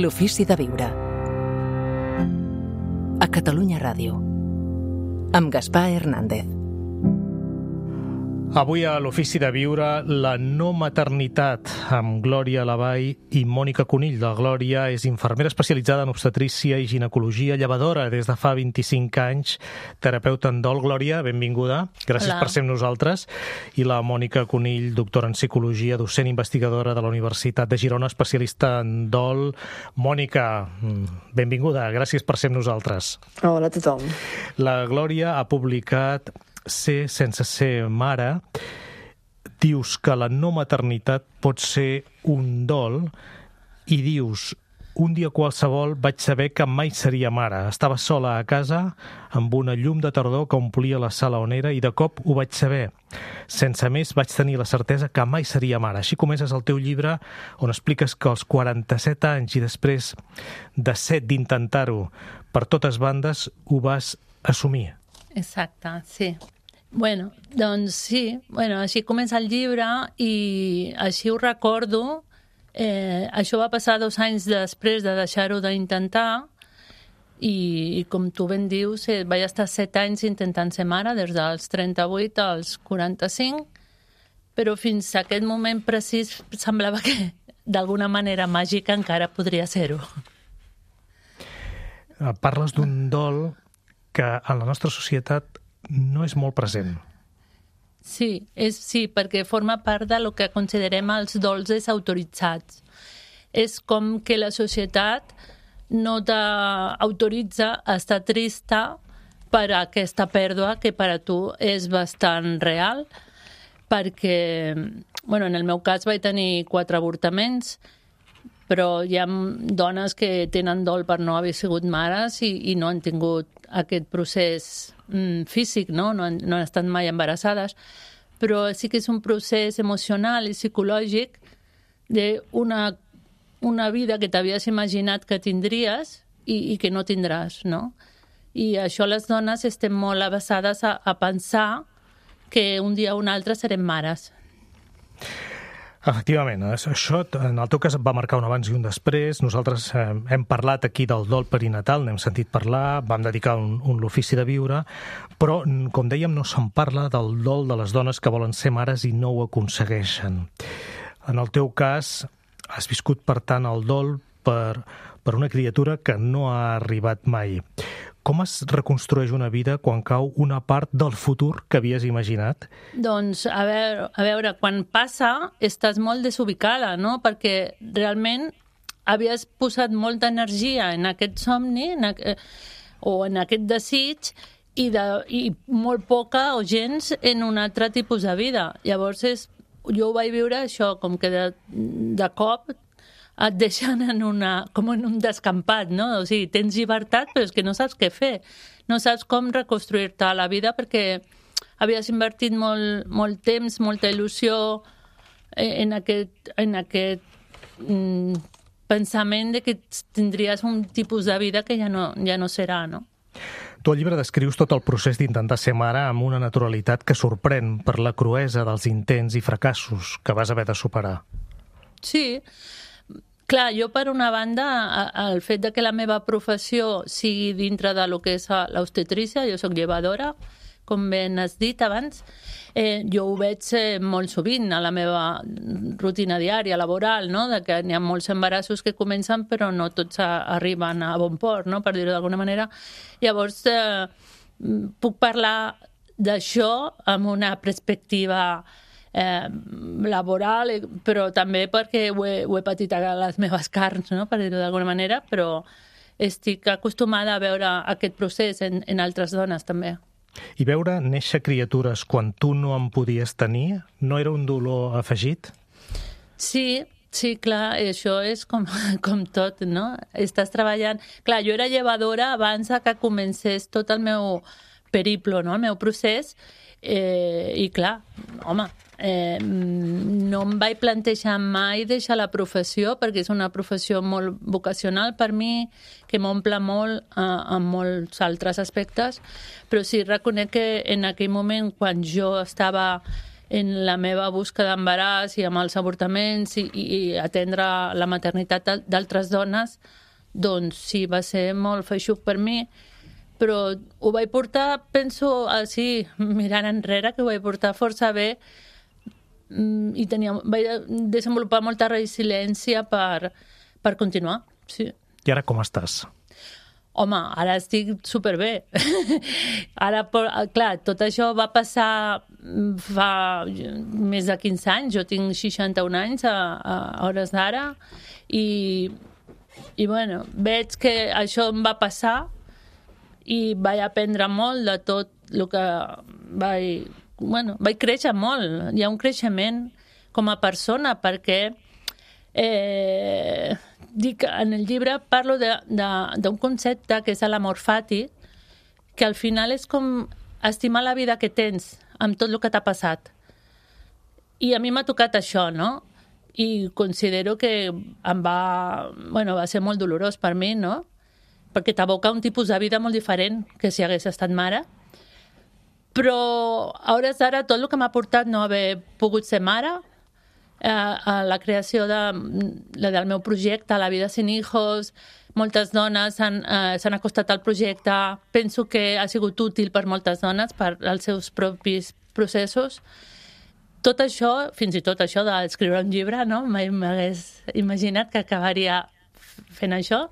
L'ofici de viure. A Catalunya Ràdio. Amb Gaspar Hernández. Avui a l'Ofici de Viure, la no maternitat, amb Glòria Lavall i Mònica Conill. La Glòria és infermera especialitzada en obstetrícia i ginecologia, llevadora des de fa 25 anys, terapeuta en dol. Glòria, benvinguda. Gràcies per ser amb nosaltres. I la Mònica Conill, doctora en psicologia, docent investigadora de la Universitat de Girona, especialista en dol. Mònica, benvinguda. Gràcies per ser amb nosaltres. Hola a tothom. La Glòria ha publicat Ser sense ser mare. Dius que la no maternitat pot ser un dol i dius: un dia qualsevol vaig saber que mai seria mare. Estava sola a casa amb una llum de tardor que omplia la sala on era i de cop ho vaig saber. Sense més vaig tenir la certesa que mai seria mare. Així comences el teu llibre, on expliques que als 47 anys i després de 7 d'intentar-ho per totes bandes ho vas assumir. Exacte, sí. Doncs sí, així comença el llibre i així ho recordo. Això va passar 2 anys després de deixar-ho d'intentar i com tu ben dius, vaig estar 7 anys intentant ser mare, des dels 38 als 45, però fins a aquest moment precís semblava que d'alguna manera màgica encara podria ser-ho. Parles d'un dol que en la nostra societat no és molt present. Sí, perquè forma part de lo que considerem els dols desautoritzats. És com que la societat no t'autoritza a estar trista per aquesta pèrdua que per a tu és bastant real, perquè, en el meu cas vaig tenir 4 avortaments, però hi ha dones que tenen dol per no haver sigut mares i no han tingut aquest procés físic, no han estat mai embarassades, però sí que és un procés emocional i psicològic d'una vida que t'havies imaginat que tindries i que no tindràs, no? I això les dones estem molt avesades a pensar que un dia o un altre serem mares. Efectivament, això en el teu cas va marcar un abans i un després. Nosaltres hem parlat aquí del dol perinatal, n'hem sentit parlar, vam dedicar l'ofici de viure, però, com dèiem, no se'n parla del dol de les dones que volen ser mares i no ho aconsegueixen. En el teu cas, has viscut, per tant, el dol per una criatura que no ha arribat mai. Com es reconstrueix una vida quan cau una part del futur que havies imaginat? Doncs, a veure, quan passa estàs molt desubicada, no? Perquè realment havies posat molta energia en aquest somni o en aquest desig i molt poca o gens en un altre tipus de vida. Llavors, jo ho vaig viure això, com que de cop et deixen com en un descampat, no? O sigui, tens llibertat, però és que no saps què fer. No saps com reconstruir-te la vida perquè havies invertit molt temps, molta il·lusió en aquest pensament de que tindries un tipus de vida que ja no serà, no? Tu al llibre descrius tot el procés d'intentar ser mare amb una naturalitat que sorprèn per la cruesa dels intents i fracassos que vas haver de superar. Sí. Clar, jo per una banda, el fet de que la meva professió sigui dintre de lo que és l'obstetrícia, jo soc llevadora, com ben has dit abans, jo ho veig molt sovint a la meva rutina diària, laboral, no? De que n'hi ha molts embarassos que comencen però no tots arriben a bon port, no? Per dir-ho d'alguna manera. Llavors, puc parlar d'això amb una perspectiva laboral, però també perquè ho he patit a les meves carns, no? Per dir-ho d'alguna manera, però estic acostumada a veure aquest procés en altres dones també. I veure néixer criatures quan tu no en podies tenir, no era un dolor afegit? Sí, clar, això és com tot, no? Estàs treballant... Clar, jo era llevadora abans que comencés tot el meu periplo, no? El meu procés, i clar, home, no em vaig plantejar mai deixar la professió perquè és una professió molt vocacional per mi, que m'omple molt en molts altres aspectes, però sí reconec que en aquell moment quan jo estava en la meva busca d'embaràs i amb els avortaments i atendre la maternitat d'altres dones, doncs sí, va ser molt feixuc per mi, però ho vaig portar, penso, així, mirant enrere, que ho vaig portar força bé i vaig desenvolupar molta resiliència per continuar, sí. I ara com estàs? Home, ara estic superbé. Ara, clar, tot això va passar fa més de 15 anys. Jo tinc 61 anys a hores d'ara i bueno, veig que això em va passar i vaig aprendre molt de tot el que vaig créixer molt. Hi ha un creixement com a persona perquè dic, en el llibre parlo d'un concepte que és l'amor fati, que al final és com estimar la vida que tens amb tot el que t'ha passat. I a mi m'ha tocat això, no? I considero que va ser molt dolorós per mi, no? Perquè t'aboca un tipus de vida molt diferent que si hagués estat mare. Però a hores d'ara tot el que m'ha portat no haver pogut ser mare, a la creació del meu projecte, La vida sin hijos, moltes dones s'han acostat al projecte, penso que ha sigut útil per moltes dones, per als seus propis processos. Tot això, fins i tot això d'escriure un llibre, no? Mai m'hagués imaginat que acabaria fent això.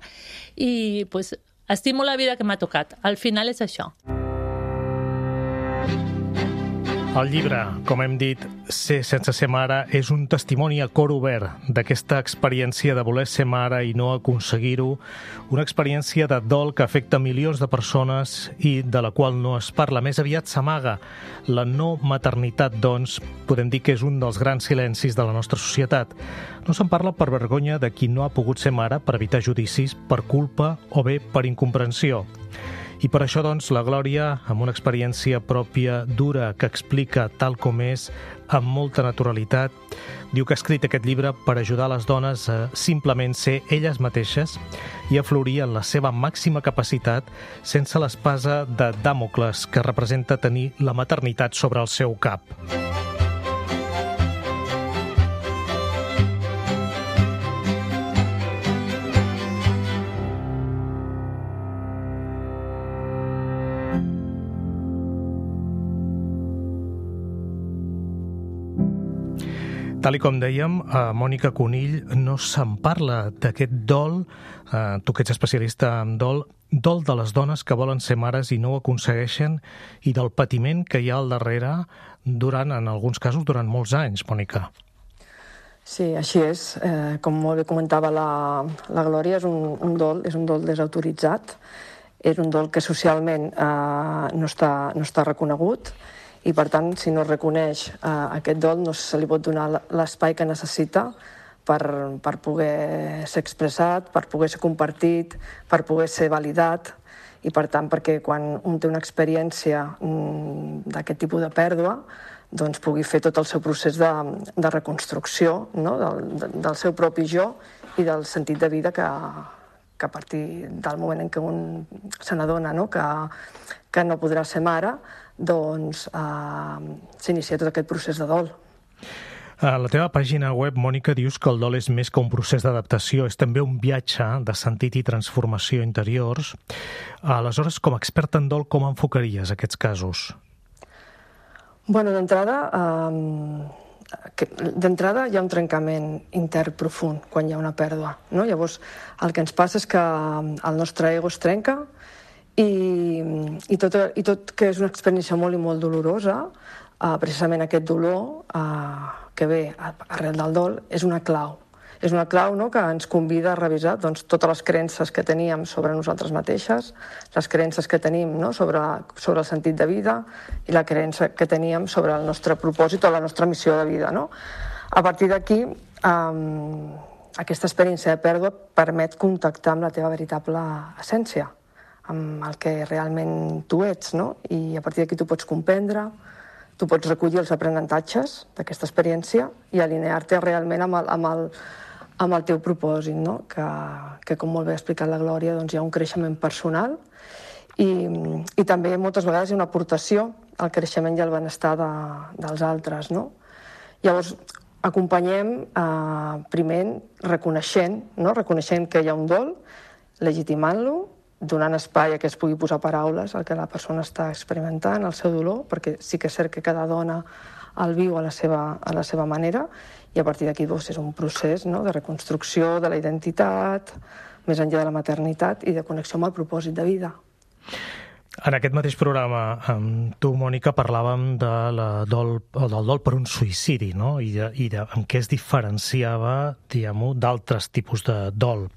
I pues, estimo la vida que m'ha tocat. Al final és això. El llibre, com hem dit, Ser sense ser mare, és un testimoni a cor obert d'aquesta experiència de voler ser mare i no aconseguir-ho, una experiència de dol que afecta milions de persones i de la qual no es parla, més aviat s'amaga. La no maternitat, doncs, podem dir que és un dels grans silencis de la nostra societat. No se'n parla per vergonya de qui no ha pogut ser mare, per evitar judicis, per culpa o bé per incomprensió. I per això, doncs, la Glòria, amb una experiència pròpia dura que explica tal com és, amb molta naturalitat, diu que ha escrit aquest llibre per ajudar les dones a simplement ser elles mateixes i a florir en la seva màxima capacitat sense l'espasa de Dàmocles que representa tenir la maternitat sobre el seu cap. Tal com dèiem, a Mònica Conill no se'n parla d'aquest dol, tu que ets especialista en dol de les dones que volen ser mares i no ho aconsegueixen i del patiment que hi ha al darrere en alguns casos, durant molts anys, Mònica. Sí, així és. Com molt bé comentava la Glòria, és un dol desautoritzat, és un dol que socialment no està reconegut, i per tant, si no es reconeix aquest dol, no se li pot donar l'espai que necessita per poder ser expressat, per poder ser compartit, per poder ser validat, i per tant, perquè quan un té una experiència d'aquest tipus de pèrdua, doncs pugui fer tot el seu procés de reconstrucció, no? del seu propi jo i del sentit de vida que a partir del moment en què un se n'adona, no? que no podrà ser mare, doncs s'inicia tot aquest procés de dol. A la teva pàgina web, Mònica, dius que el dol és més que un procés d'adaptació, és també un viatge de sentit i transformació interiors. Aleshores, com a experta en dol, com enfocaries aquests casos? Bueno, d'entrada hi ha un trencament intern profund quan hi ha una pèrdua, no? Llavors, el que ens passa és que el nostre ego es trenca i tot que és una experiència molt i molt dolorosa, precisament aquest dolor que ve arrel del dol és una clau. És una clau, no?, que ens convida a revisar doncs, totes les creences que teníem sobre nosaltres mateixes, les creences que tenim, no?, sobre el sentit de vida i la creença que teníem sobre el nostre propòsit o la nostra missió de vida, no? A partir d'aquí, aquesta experiència de pèrdua permet contactar amb la teva veritable essència, amb el que realment tu ets, no? I a partir d'aquí tu pots comprendre, tu pots recollir els aprenentatges d'aquesta experiència i alinear-te realment amb el teu propòsit, no? Que com molt bé ha explicat la Glòria, doncs hi ha un creixement personal i també moltes vegades hi ha una aportació al creixement i al benestar dels altres, no? Llavors, acompanyem primer reconeixent que hi ha un dol, legitimant-lo, donant espai a que es pugui posar paraules al que la persona està experimentant, el seu dolor, perquè sí que és cert que cada dona el viu a la seva manera, i a partir d'aquí és un procés de reconstrucció de la identitat, més enllà de la maternitat i de connexió amb el propòsit de vida. En aquest mateix programa amb tu, Mònica, parlàvem del dol per un suïcidi, no? I en què es diferenciava, diguem-ho, d'altres tipus de dol.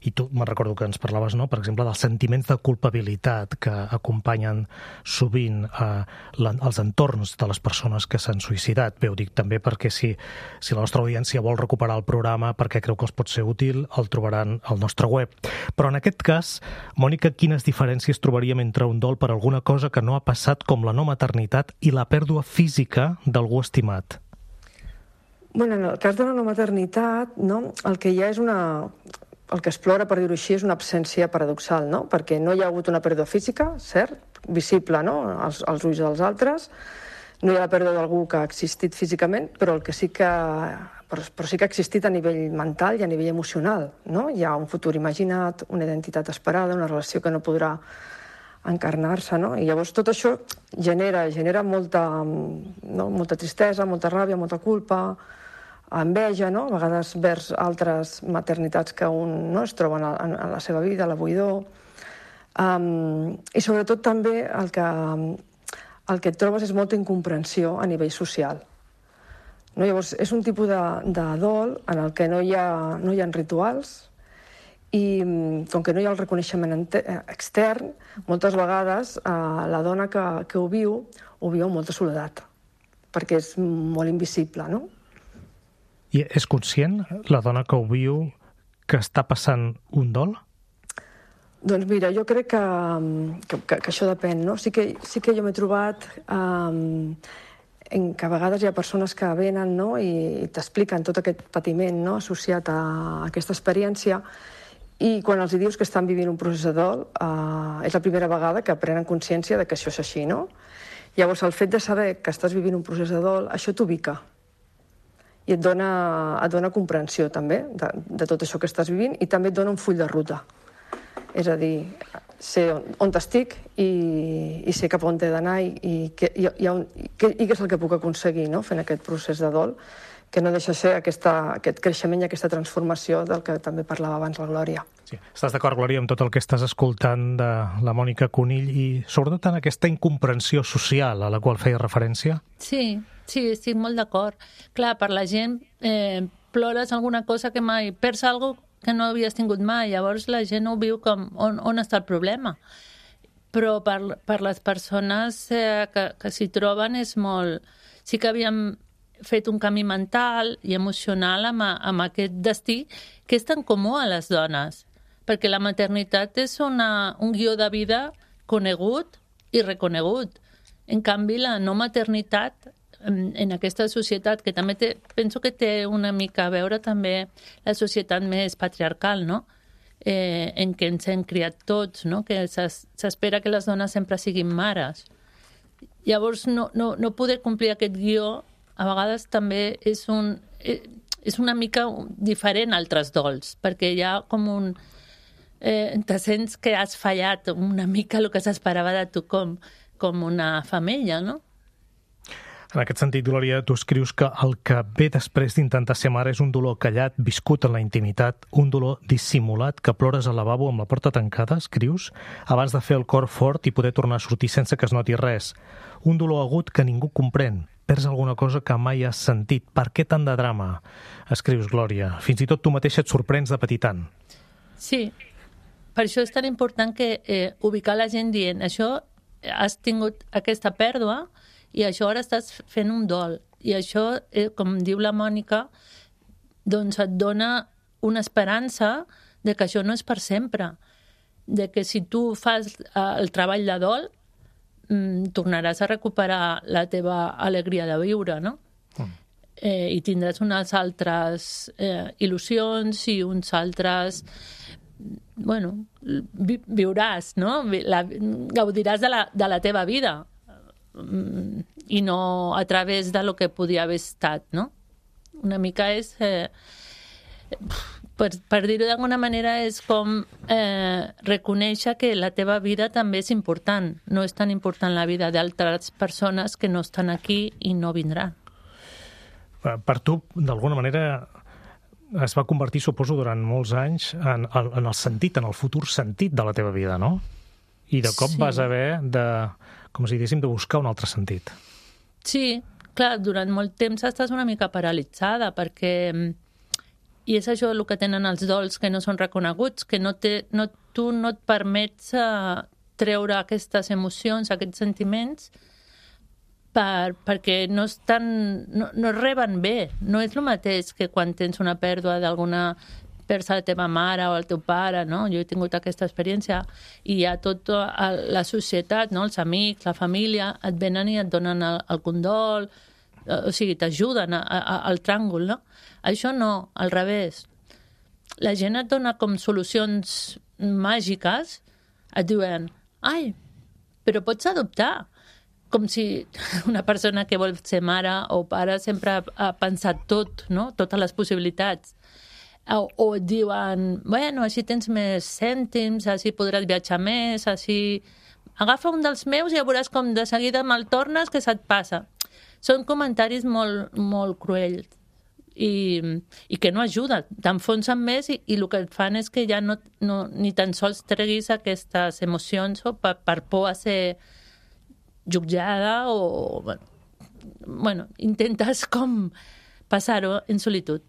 I tu me'n recordo que ens parlaves, no?, per exemple, dels sentiments de culpabilitat que acompanyen sovint els entorns de les persones que s'han suïcidat. Bé, ho dic també perquè si la nostra audiència vol recuperar el programa perquè creu que els pot ser útil, el trobaran al nostre web. Però en aquest cas, Mònica, quines diferències trobaríem entre un dol per alguna cosa que no ha passat, com la no maternitat, i la pèrdua física d'algú estimat? Bueno, en el cas de la no maternitat, el que hi ha és el que explora, per dir-ho així, és una absència paradoxal, no? Perquè no hi ha hagut una pèrdua física, cert, visible, no?, als ulls dels altres, no hi ha la pèrdua d'algú que ha existit físicament, però sí que ha existit a nivell mental i a nivell emocional, no? Hi ha un futur imaginat, una identitat esperada, una relació que no podrà encarnar-se, no? I llavors tot això genera molta tristesa, molta ràbia, molta culpa, enveja, no?, a vegades vers altres maternitats que un es troba en la seva vida, la buidor. I sobretot també el que et trobes és molta incomprensió a nivell social. No? Llavors, és un tipus de dol en el que no hi ha rituals, i com que no hi ha el reconeixement extern, moltes vegades la dona que ho viu amb molta soledat, perquè és molt invisible, no? I és conscient, la dona que ho viu, que està passant un dol? Doncs mira, jo crec que això depèn, no? Sí que jo m'he trobat que a vegades hi ha persones que venen, no?, i t'expliquen tot aquest patiment, no?, associat a aquesta experiència, i quan els dius que estan vivint un procés de dol, és la primera vegada que prenen consciència de que això és així, no? Llavors, el fet de saber que estàs vivint un procés de dol, això t'ubica. I et dona comprensió, també, de tot això que estàs vivint, i també et dona un full de ruta. És a dir, sé on estic i sé cap on he d'anar i què és el que puc aconseguir, no?, fent aquest procés de dol, que no deixa ser aquest creixement i aquesta transformació del que també parlava abans la Glòria. Sí. Estàs d'acord, Glòria, amb tot el que estàs escoltant de la Mònica Conill i sobretot en aquesta incomprensió social a la qual feia referència? Sí, estic molt d'acord. Clar, per la gent plores alguna cosa que mai... Perds alguna cosa que no havies tingut mai, llavors la gent ho viu com on està el problema. Però per les persones que s'hi troben és molt... Sí que havíem fet un camí mental i emocional amb aquest destí que és tan comú a les dones, perquè la maternitat és un guió de vida conegut i reconegut. En canvi, la no maternitat en aquesta societat, que també penso que té una mica a veure també la societat més patriarcal, no?, en què ens hem criat tots, no?, que s'espera que les dones sempre siguin mares. Llavors, no poder complir aquest guió a vegades també és una mica diferent a altres dols, perquè hi ha com te sents que has fallat una mica el que s'esperava de tu com una femella, no? En aquest sentit, Glòria, tu escrius que el que ve després d'intentar ser mare és un dolor callat, viscut en la intimitat, un dolor dissimulat, que plores al lavabo amb la porta tancada, escrius, abans de fer el cor fort i poder tornar a sortir sense que es noti res. Un dolor agut que ningú comprèn. Perds alguna cosa que mai has sentit. Per què tant de drama? Escrius, Glòria. Fins i tot tu mateixa et sorprens de patir tant. Sí, per això és tan important que ubicar la gent dient això, has tingut aquesta pèrdua i això ara estàs fent un dol. I això, com diu la Mònica, doncs et dona una esperança de que això no és per sempre. De que si tu fas el treball de dol, tornaràs a recuperar la teva alegria de viure, no? I tindràs unes altres il·lusions i uns altres... Bueno, viuràs, no? Gaudiràs de la teva vida. i no a través de lo que podia haver estat, no? Una mica és... per dir-ho d'alguna manera, és com reconèixer que la teva vida també és important. No és tan important la vida d'altres persones que no estan aquí i no vindran. Per tu, d'alguna manera, es va convertir, suposo, durant molts anys en el sentit, en el futur sentit de la teva vida, no? I de cop vas haver de, com si diguéssim, de buscar un altre sentit. Sí, clar, durant molt temps estàs una mica paralitzada, perquè... I és això el que tenen els dols que no són reconeguts, que tu no et permets treure aquestes emocions, aquests sentiments, perquè no reben bé. No és el mateix que quan tens una pèrdua d'alguna persona, la teva mare o el teu pare, no? Jo he tingut aquesta experiència i hi ha tota la societat, no? Els amics, la família, et venen i et donen el condol, o sigui, t'ajuden al tràngol, no? Això no, al revés. La gent et dona com solucions màgiques, et diuen, ai, però pots adoptar. Com si una persona que vol ser mare o pare sempre ha pensat tot, no? Totes les possibilitats. O et diuen, bueno, així tens més cèntims, així podràs viatjar més, així... Agafa un dels meus i ja veuràs com de seguida me'l tornes que se't passa. Són comentaris molt, molt cruels i que no ajuden. T'enfonsen més i el que et fan és que ja ni tan sols treguis aquestes emocions o per por a ser jutjada o... Bueno, intentes com passar-ho en solitud.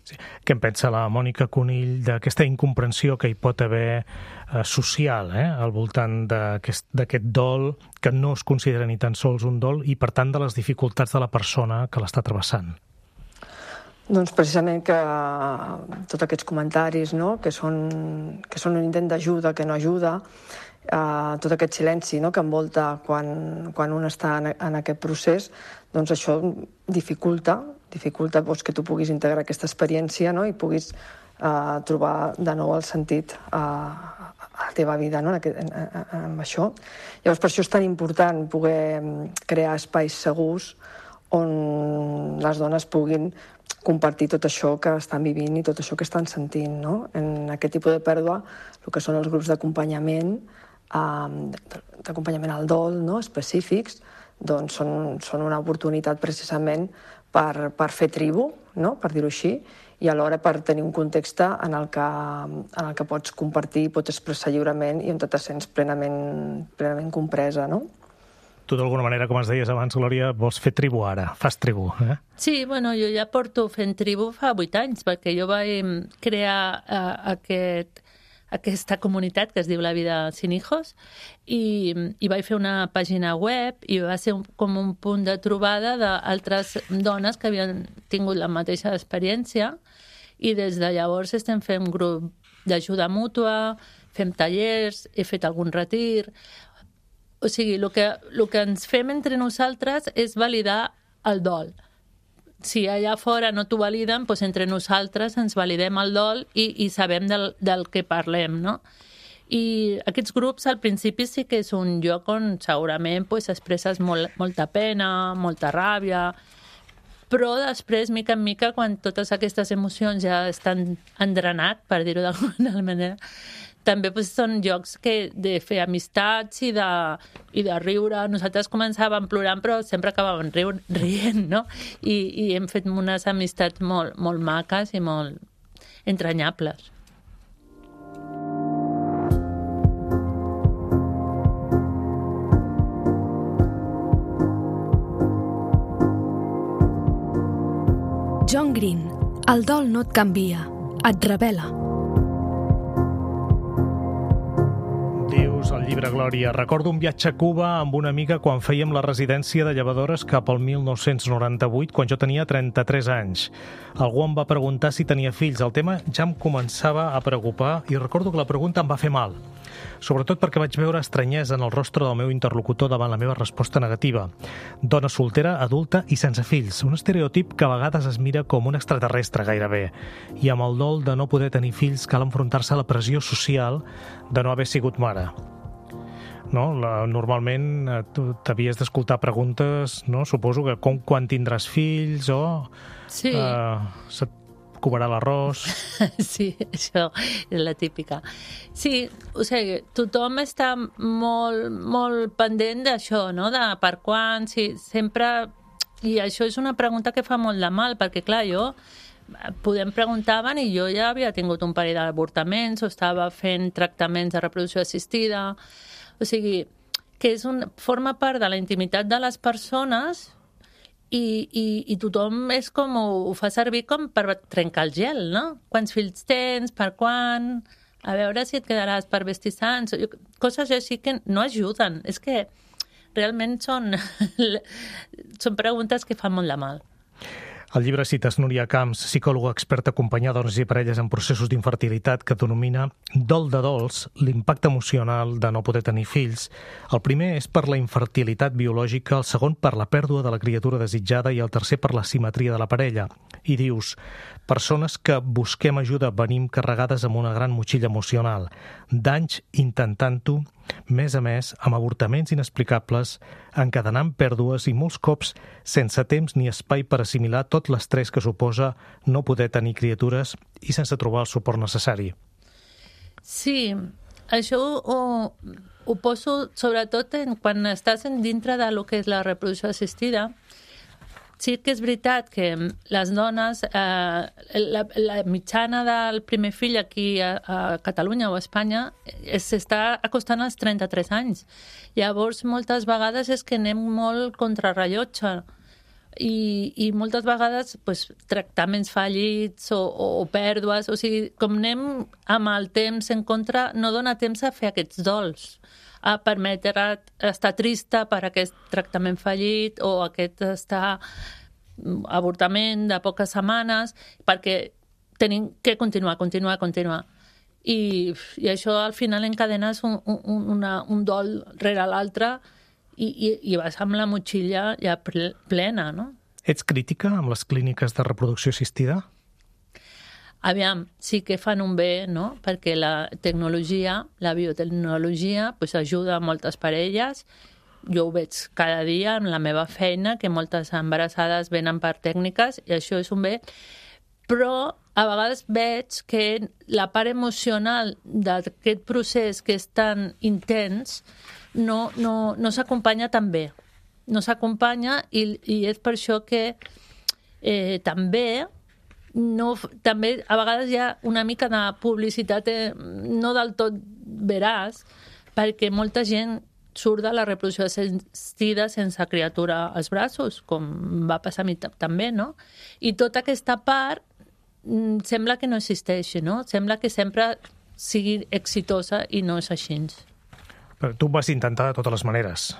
Sí. Què en pensa la Mònica Conill d'aquesta incomprensió que hi pot haver social al voltant d'aquest dol, que no es considera ni tan sols un dol, i per tant de les dificultats de la persona que l'està travessant? Doncs precisament que tots aquests comentaris, no? que són un intent d'ajuda, que no ajuda, tot aquest silenci, no? que envolta quan un està en aquest procés, doncs això dificulta doncs, que tu puguis integrar aquesta experiència, no? I puguis trobar de nou el sentit a la teva vida, no? amb això. Llavors, per això és tan important poder crear espais segurs on les dones puguin compartir tot això que estan vivint i tot això que estan sentint. No? En aquest tipus de pèrdua, el que són els grups d'acompanyament al dol, no? específics, doncs són una oportunitat precisament per fer tribu, no? per dir-ho així, i alhora per tenir un context en el que pots compartir, pots expressar lliurement i on te sents plenament compresa, no? Tu, d'alguna manera, com ens deies abans, Glòria, vols fer tribu ara, fas tribu, eh? Sí, bueno, jo ja porto fent tribu fa 8 anys, perquè jo vaig crear aquesta comunitat que es diu La Vida Sin Hijos i vaig fer una pàgina web i va ser com un punt de trobada d'altres dones que havien tingut la mateixa experiència i des de llavors estem fent un grup d'ajuda mútua, fem tallers, he fet algun retir. O sigui, el que ens fem entre nosaltres és validar el dol. Si allà fora no t'ho validen, doncs entre nosaltres ens validem el dol i sabem del que parlem, no? I aquests grups al principi sí que és un lloc on segurament expresses molta pena, molta ràbia, però després, mica en mica, quan totes aquestes emocions ja estan endrenat, per dir-ho d'alguna manera, també són llocs de fer amistats i de riure. Nosaltres començàvem plorant, però sempre acabàvem rient, no? I hem fet unes amistats molt, molt maques i molt entranyables. John Green, el dol no et canvia, et revela. Dius al llibre, Glòria, recordo un viatge a Cuba amb una amiga quan fèiem la residència de llevadores cap al 1998, quan jo tenia 33 anys. Algú em va preguntar si tenia fills. El tema ja em començava a preocupar i recordo que la pregunta em va fer mal. Sobretot perquè vaig veure estranyesa en el rostre del meu interlocutor davant la meva resposta negativa. Dona soltera, adulta i sense fills. Un estereotip que a vegades es mira com un extraterrestre gairebé. I amb el dol de no poder tenir fills cal enfrontar-se a la pressió social de no haver sigut mare. no? Normalment tu t'havies d'escoltar preguntes, no? Suposo que quan tindràs fills o Sí. se't cobrarà l'arròs. Sí, això és la típica. Sí, o sigui, tothom està molt pendent d'això, no? De per quan, sí, sempre... I això és una pregunta que fa molt de mal, perquè, clar, podem preguntaven i jo ja havia tingut un parell d'avortaments o estava fent tractaments de reproducció assistida. O sigui, que forma part de la intimitat de les persones i tothom és com ho fa servir com per trencar el gel, no? Quants fills tens, per quan, a veure si et quedaràs per vestir sants, coses així que no ajuden. És que realment són preguntes que fan molt de mal. Al llibre cites Núria Camps, psicòloga experta acompanyar dones i parelles en processos d'infertilitat, que denomina dol de dols l'impacte emocional de no poder tenir fills. El primer és per la infertilitat biològica, el segon per la pèrdua de la criatura desitjada i el tercer per la simetria de la parella. I dius, persones que busquem ajuda venim carregades amb una gran motxilla emocional, d'anys intentant-ho, més a més, amb avortaments inexplicables, encadenant pèrdues i molts cops sense temps ni espai per assimilar tot l'estrès que suposa no poder tenir criatures i sense trobar el suport necessari. Sí, això ho poso sobretot quan estàs dintre de lo que és la reproducció assistida. Sí que és veritat que les dones, la mitjana del primer fill aquí a Catalunya o a Espanya s'està acostant als 33 anys. Llavors, moltes vegades és que anem molt contrarrellotge i moltes vegades tractaments fallits o pèrdues, o sigui, com anem amb el temps en contra, no dona temps a fer aquests dols, a permetre estar trista per aquest tractament fallit o aquest avortament de poques setmanes, perquè tenim que continuar. I això al final encadenes un dol rere l'altre i vas amb la motxilla ja plena, no? Ets crítica amb les clíniques de reproducció assistida? Aviam, sí que fan un bé, no? Perquè la tecnologia, la biotecnologia, ajuda a moltes parelles. Jo ho veig cada dia en la meva feina, que moltes embarassades venen per tècniques, i això és un bé. Però a vegades veig que la part emocional d'aquest procés que és tan intens no s'acompanya tan bé. No s'acompanya i és per això que també a vegades hi ha una mica de publicitat no del tot veraç, perquè molta gent surt de la reproducció assistida sense criatura als braços, com va passar a mi també, no? I tota aquesta part sembla que no existeixi, no? Sembla que sempre sigui exitosa i no és així. Però tu ho vas intentar de totes les maneres.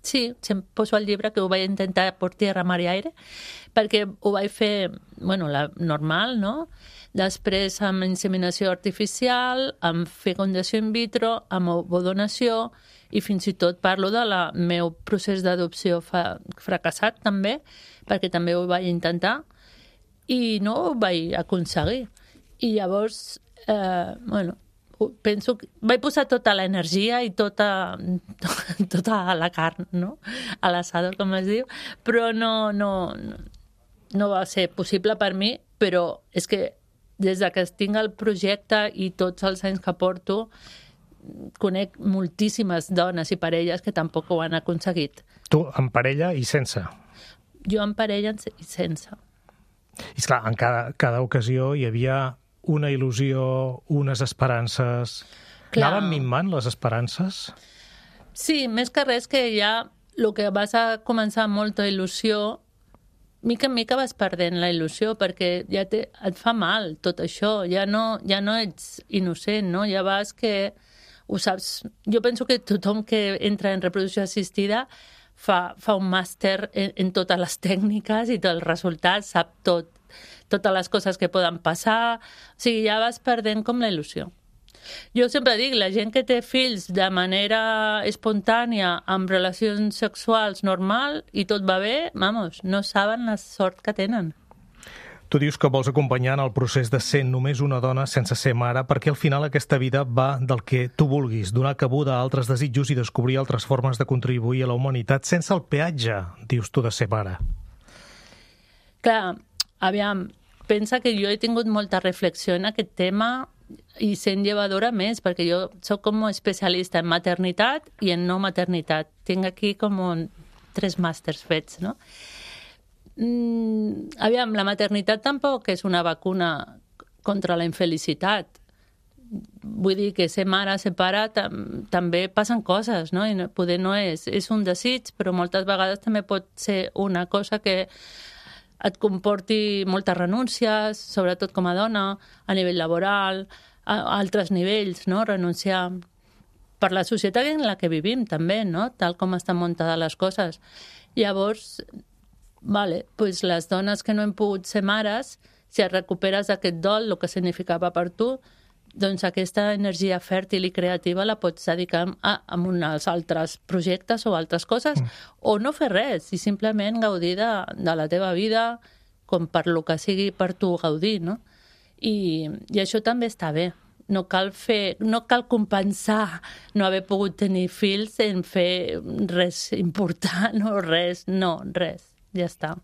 Sí, poso al llibre que ho vaig intentar por tierra, mar i aire, perquè ho vaig fer, la normal, no? Després amb inseminació artificial, amb fecundació in vitro, amb ovodonació, i fins i tot parlo del meu procés d'adopció fracassat també, perquè també ho vaig intentar, i no ho vaig aconseguir. I llavors, penso que vaig posar tota l'energia i tota la carn, no? A l'assador, com es diu, però no va ser possible per mi, però és que des que tinc el projecte i tots els anys que porto, conec moltíssimes dones i parelles que tampoc ho han aconseguit. Tu en parella i sense? Jo en parella i sense. I esclar, en cada ocasió hi havia una il·lusió, unes esperances... Clar. Anaven minvant les esperances? Sí, més que res que ja el que vas a començar amb molta il·lusió, mica en mica vas perdent la il·lusió, perquè ja et fa mal tot això, ja no ets innocent, no? Ja vas que ho saps. Jo penso que tothom que entra en reproducció assistida fa un màster en totes les tècniques i tots els resultats, sap totes les coses que poden passar, o sigui, ja vas perdent com la il·lusió. Jo sempre dic, la gent que té fills de manera espontània, amb relacions sexuals normal i tot va bé, no saben la sort que tenen. Tu dius que vols acompanyar en el procés de ser només una dona sense ser mare, perquè al final aquesta vida va del que tu vulguis, donar cabuda a altres desitjos i descobrir altres formes de contribuir a la humanitat sense el peatge, dius tu, de ser mare. Clar, aviam, pensa que jo he tingut molta reflexió en aquest tema i sent llevadora més, perquè jo soc com especialista en maternitat i en no maternitat. Tinc aquí com 3 màsters fets, no? Aviam, la maternitat tampoc és una vacuna contra la infelicitat. Vull dir que ser mare, ser pare, també passen coses, no? I poder no és un desig, però moltes vegades també pot ser una cosa que et comporti moltes renúncies, sobretot com a dona, a nivell laboral, a altres nivells, no? Renunciar per la societat en la que vivim, també, no? Tal com estan muntades les coses. Llavors, pues les dones que no hem pogut ser mares, si et recuperes d'aquest dol, el que significava per tu, doncs aquesta energia fèrtil i creativa la pots dedicar a uns altres projectes o altres coses, o no fer res, i simplement gaudir de la teva vida com per lo que sigui per tu gaudir, no? I això també està bé. No cal compensar no haver pogut tenir fills en fer res important o res. No, res. Ja està.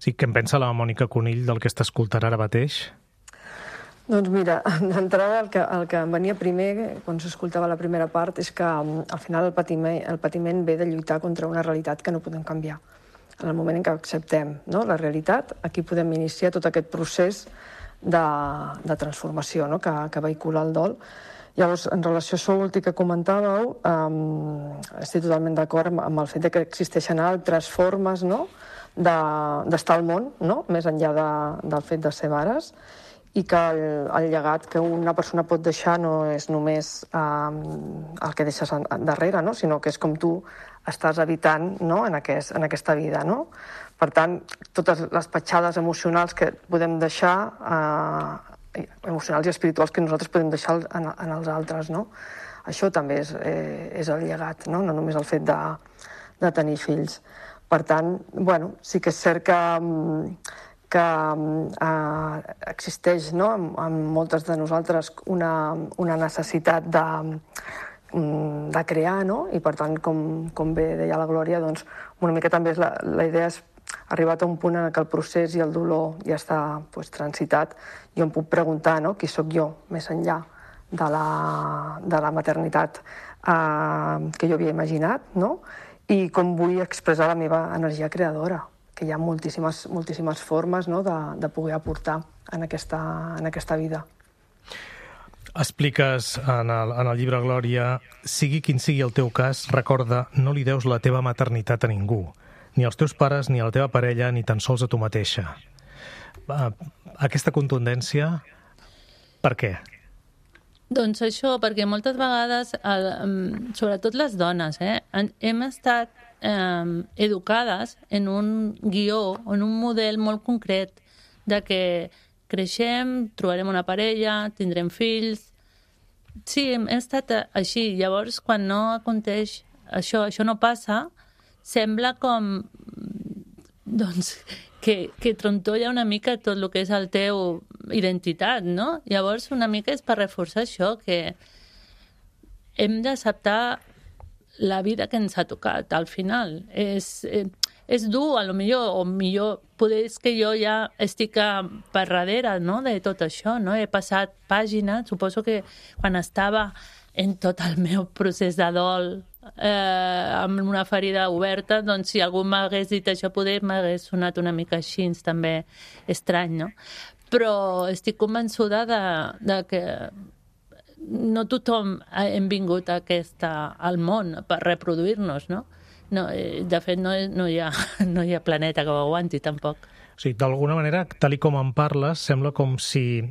Sí, què en pensa la Mònica Conill del que està escoltant ara mateix? Doncs mira, d'entrada el que em venia primer, quan s'escoltava la primera part, és que al final el patiment ve de lluitar contra una realitat que no podem canviar. En el moment en què acceptem, no, la realitat, aquí podem iniciar tot aquest procés de transformació, no, que vehicula el dol. Llavors, en relació a això últim que comentàveu, estic totalment d'acord amb el fet que existeixen altres formes, no, d'estar al món, no, més enllà del fet de ser mares, i que el llegat que una persona pot deixar no és només el que deixes darrere, no? Sinó que és com tu estàs habitant, no? en aquesta vida. No? Per tant, totes les petjades emocionals que podem deixar, emocionals i espirituals que nosaltres podem deixar en els altres. No? Això també és el llegat, no només el fet de tenir fills. Per tant, bueno, sí que és cert que existeix, no, en moltes de nosaltres una necessitat de crear, no? I per tant, com bé deia la Glòria, doncs una mica també la idea és arribar a un punt en què el procés i el dolor ja està transitat i em puc preguntar, no, qui sóc jo més enllà de la maternitat que jo havia imaginat, no? I com vull expressar la meva energia creadora, que hi ha moltíssimes formes, no, de poder aportar en aquesta vida. Expliques en el llibre, Glòria, sigui quin sigui el teu cas, recorda, no li deus la teva maternitat a ningú, ni als teus pares, ni a la teva parella, ni tan sols a tu mateixa. Aquesta contundència, per què? Doncs això, perquè moltes vegades, sobretot les dones, hem estat educades en un guió, en un model molt concret de que creixem, trobarem una parella, tindrem fills. Sí, hem estat així. Llavors, quan no aconteix això no passa, sembla com doncs, que trontolla una mica tot el que és el teu identitat, no? Llavors, una mica és per reforçar això, que hem d'acceptar la vida que ens ha tocat al final. És dur, a lo millor, o millor, poder és que jo ja estic per darrere, no?, de tot això, no? He passat pàgina, suposo que quan estava en tot el meu procés de dol, amb una ferida oberta, doncs si algú m'hagués dit això, poder m'hagués sonat una mica així, també estrany, no? Però estic convençuda de que no tothom hem vingut al món per reproduir-nos, no? No, de fet, no hi ha planeta que ho aguanti, tampoc. O sigui, d'alguna manera, tal com en parles, sembla com si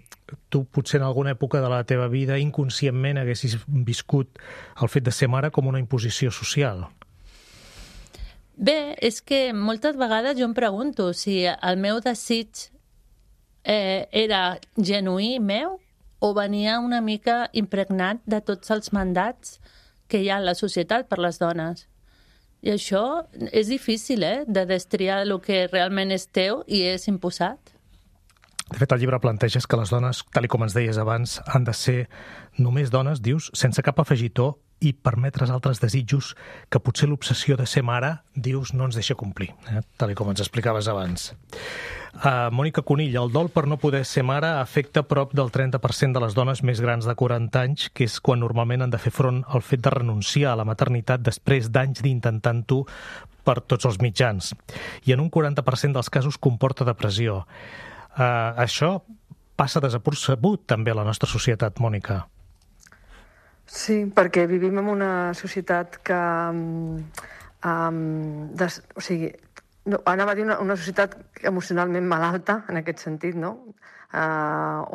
tu potser en alguna època de la teva vida inconscientment haguessis viscut el fet de ser mare com una imposició social. Bé, és que moltes vegades jo em pregunto si el meu desig era genuí meu o venia una mica impregnat de tots els mandats que hi ha a la societat per les dones. I això és difícil, de destriar el que realment és teu i és imposat. De fet, el llibre planteja que les dones, tal com ens deies abans, han de ser només dones, dius, sense cap afegitó i permetre's altres desitjos que potser l'obsessió de ser mare, dius, no ens deixa complir, tal com ens explicaves abans. Mònica Conill, el dol per no poder ser mare afecta prop del 30% de les dones més grans de 40 anys, que és quan normalment han de fer front al fet de renunciar a la maternitat després d'anys d'intentant-ho per tots els mitjans. I en un 40% dels casos comporta depressió. Això passa desapercebut també a la nostra societat, Mònica. Sí, perquè vivim en una societat que... o sigui, no, anava a dir una societat emocionalment malalta, en aquest sentit, no?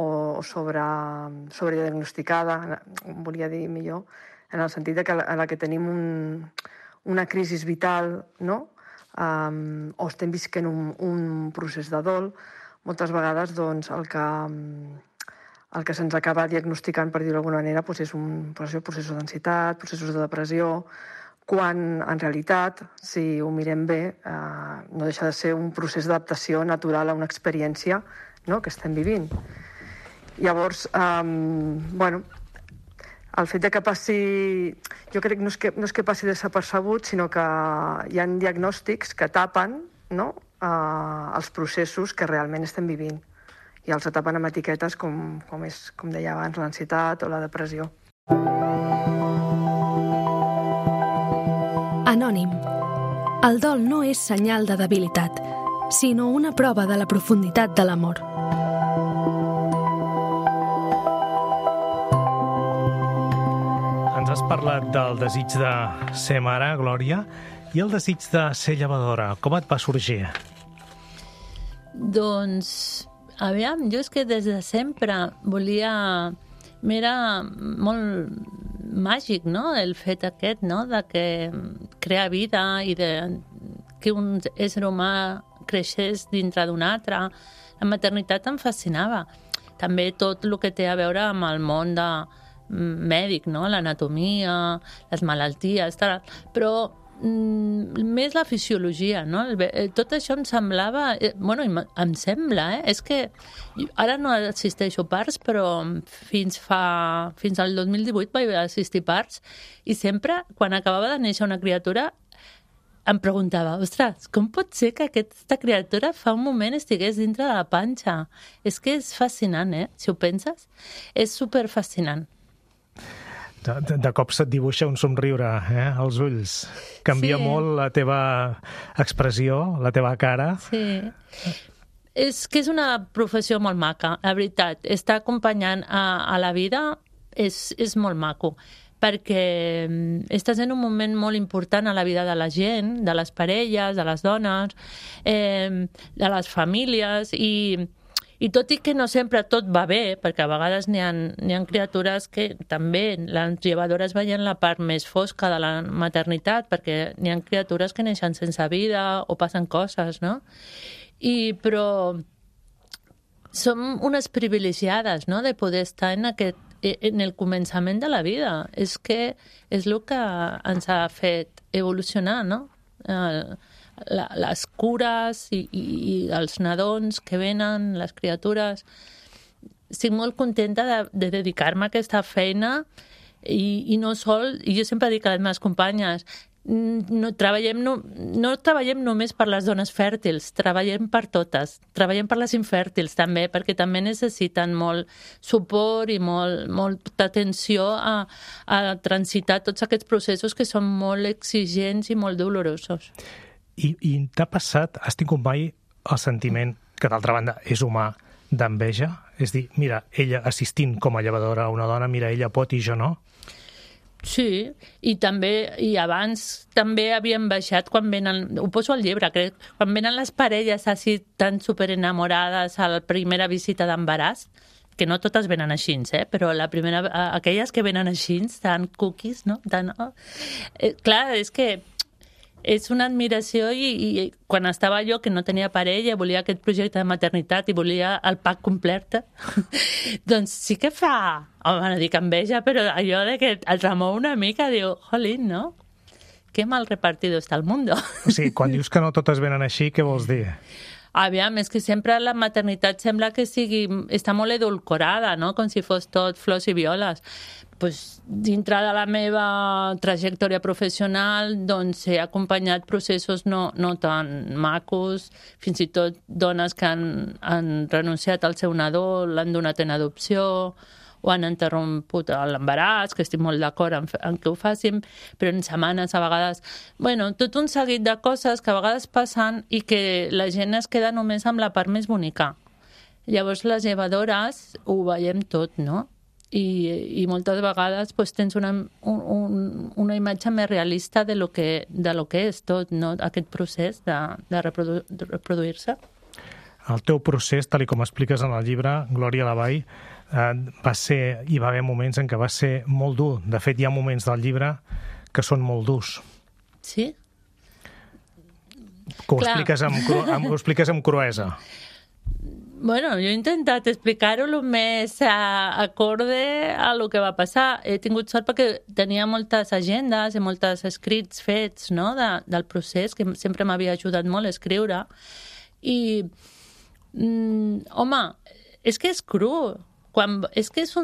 O sobrediagnosticada, volia dir millor, en el sentit de que a la que tenim una crisi vital, no? O estem visquent un procés de dol, moltes vegades doncs, el que se'ns acaba diagnosticant, per dir-ho d'alguna manera, doncs és un procés d'ansietat, processos de depressió, quan en realitat, si ho mirem bé, no deixa de ser un procés d'adaptació natural a una experiència, no?, que estem vivint. Llavors, bueno, el fet de que passi... Jo crec que no és que passi desapercebut, sinó que hi ha diagnòstics que tapen, no?, els processos que realment estem vivint. I els tapen amb etiquetes com deia abans, l'ansietat o la depressió. Anònim. El dol no és senyal de debilitat, sinó una prova de la profunditat de l'amor. Ens has parlat del desig de ser mare, Glòria, i el desig de ser llevadora. Com et va sorgir? Doncs, aviam, jo és que des de sempre volia... M'era molt màgic, no?, el fet aquest, no?, de que crear vida i de que un ésser humà creixés dintre d'un altre. La maternitat em fascinava. També tot el que té a veure amb el món mèdic, no?, l'anatomia, les malalties, tal. Però més la fisiologia, no? Tot això em semblava... Bueno, em sembla, És que ara no assisteixo parts, però fins al 2018 vaig assistir parts i sempre, quan acabava de néixer una criatura, em preguntava, ostres, com pot ser que aquesta criatura fa un moment estigués dintre de la panxa? És que és fascinant, si ho penses. És superfascinant. De cop se't dibuixa un somriure als ulls. Canvia molt la teva expressió, la teva cara. Sí. És que és una professió molt maca, la veritat. Estar acompanyant a la vida és molt maco, perquè estàs en un moment molt important a la vida de la gent, de les parelles, de les dones, de les famílies, i tot i que no sempre tot va bé, perquè a vegades n'hi ha criatures que també, les llevadores veien la part més fosca de la maternitat, perquè n'hi ha criatures que neixen sense vida o passen coses, no? Però som unes privilegiades, no?, de poder estar en el començament de la vida. És que és el que ens ha fet evolucionar, no?, les cures i els nadons que venen, les criatures. Estic molt contenta de dedicar-me a aquesta feina i no sol, i jo sempre dic a les meves companyes, no treballem només per les dones fèrtils, treballem per totes, treballem per les infèrtils també, perquè també necessiten molt suport i molta atenció a transitar tots aquests processos que són molt exigents i molt dolorosos. I t'ha passat, has tingut mai el sentiment, que d'altra banda és humà, d'enveja? És dir, mira, ella assistint com a llevadora a una dona, mira, ella pot i jo no? Sí, i abans també havíem baixat quan venen, ho poso al llibre, crec, quan venen les parelles així tan superenamorades a la primera visita d'embaràs, que no totes venen així, però aquelles que venen així, tan cookies, no? Clar, és que és una admiració i quan estava jo, que no tenia parella, volia aquest projecte de maternitat i volia el pack complet, doncs sí que fa, no dic enveja, però allò de que el remou una mica, diu, jolín, no? Que mal repartido està el mundo. O sigui, quan dius que no totes venen així, què vols dir? Aviam, és que sempre la maternitat sembla que està molt edulcorada, no? Com si fos tot flors i violes. Pues, dintre de la meva trajectòria professional doncs he acompanyat processos no tan macos, fins i tot dones que han renunciat al seu nadó, l'han donat en adopció o han interromput l'embaràs, que estic molt d'acord en que ho facin, però en setmanes a vegades... Bueno, tot un seguit de coses que a vegades passen i que la gent es queda només amb la part més bonica. Llavors les llevadores ho veiem tot, no? I moltes vegades pues, tens una imatge més realista de lo que és tot, no? Aquest procés de reproduir-se. El teu procés, tal com expliques en el llibre, Glòria Lavall, hi va haver moments en què va ser molt dur. De fet, hi ha moments del llibre que són molt durs. Sí? Que ho expliques amb cruesa. Bueno, jo he intentat explicar-ho el més acorde a lo que va passar. He tingut sort perquè tenia moltes agendes i molts escrits fets, no?, del procés, que sempre m'havia ajudat molt a escriure. I, home, és que és cru. És que és ho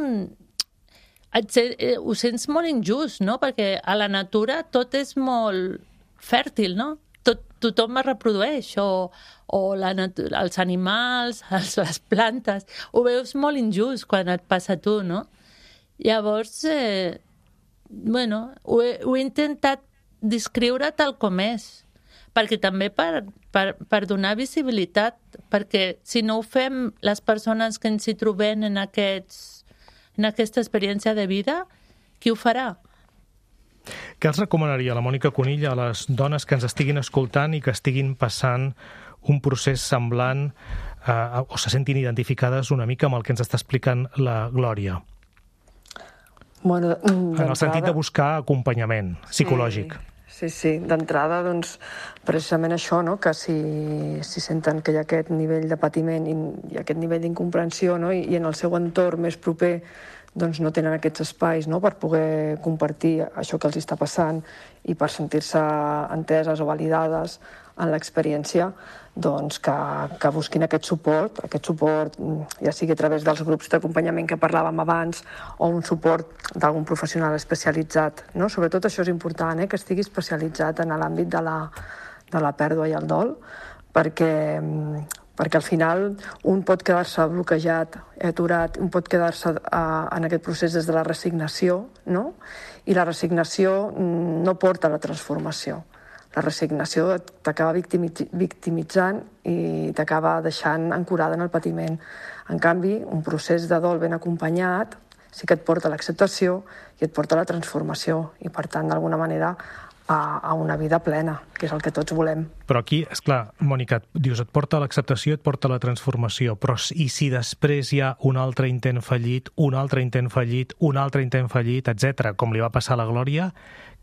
sents molt injust, no?, perquè a la natura tot és molt fèrtil, no? Tothom es reprodueix, o els animals, les plantes, ho veus molt injust quan et passa a tu, no? Llavors, bueno, ho he intentat descriure tal com és, perquè també per donar visibilitat, perquè si no ho fem les persones que ens hi trobem en aquesta experiència de vida, qui ho farà? Què els recomanaria la Mònica Conill a les dones que ens estiguin escoltant i que estiguin passant un procés semblant o se sentin identificades una mica amb el que ens està explicant la Glòria? Bueno, en el sentit de buscar acompanyament psicològic. Sí. D'entrada, doncs, precisament això, no?, que si senten que hi ha aquest nivell de patiment i aquest nivell d'incomprensió, no?, i en el seu entorn més proper doncs no tenen aquests espais, no?, per poder compartir això que els està passant i per sentir-se enteses o validades en l'experiència, doncs que busquin aquest suport, ja sigui a través dels grups d'acompanyament que parlàvem abans o un suport d'algun professional especialitzat, no? Sobretot això és important, que estigui especialitzat en l'àmbit de la pèrdua i el dol, perquè al final un pot quedar-se bloquejat, aturat, un pot quedar-se en aquest procés des de la resignació, no? I la resignació no porta a la transformació. La resignació t'acaba victimitzant i t'acaba deixant ancorada en el patiment. En canvi, un procés de dol ben acompanyat sí que et porta a l'acceptació i et porta a la transformació i, per tant, d'alguna manera, a una vida plena, que és el que tots volem. Però aquí, esclar, Mònica, dius, et porta a l'acceptació, et porta a la transformació, però i si després hi ha un altre intent fallit, un altre intent fallit, un altre intent fallit, etc., com li va passar a la Glòria,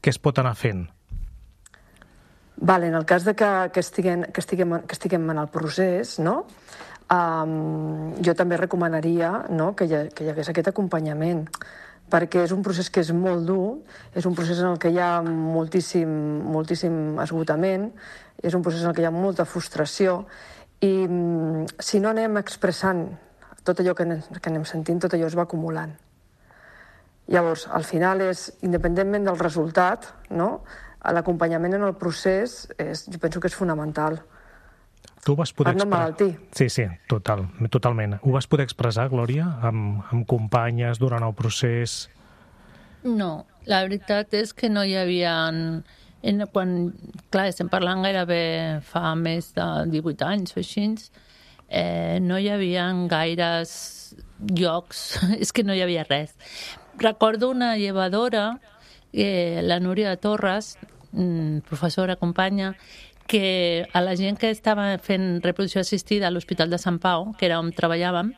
què es pot anar fent? Vale, en el cas de que estiguem en el procés, no?, jo també recomanaria, no?, que hi hagués aquest acompanyament, perquè és un procés que és molt dur, és un procés en el que hi ha moltíssim esgotament, és un procés en el que hi ha molta frustració, i si no anem expressant tot allò que anem sentint, tot allò es va acumulant. Llavors, al final és, independentment del resultat, no?, l'acompanyament en el procés jo penso que és fonamental. Tu ho vas poder per no emmalaltir. Sí, totalment. Ho vas poder expressar, Glòria, amb companyes durant el procés? No, la veritat és que no hi havia... Clar, estem parlant gairebé fa més de 18 anys o així, no hi havia gaires llocs, és que no hi havia res. Recordo una llevadora, la Núria Torres, professora, companya, que a la gent que estava fent reproducció assistida a l'Hospital de Sant Pau, que era on treballàvem,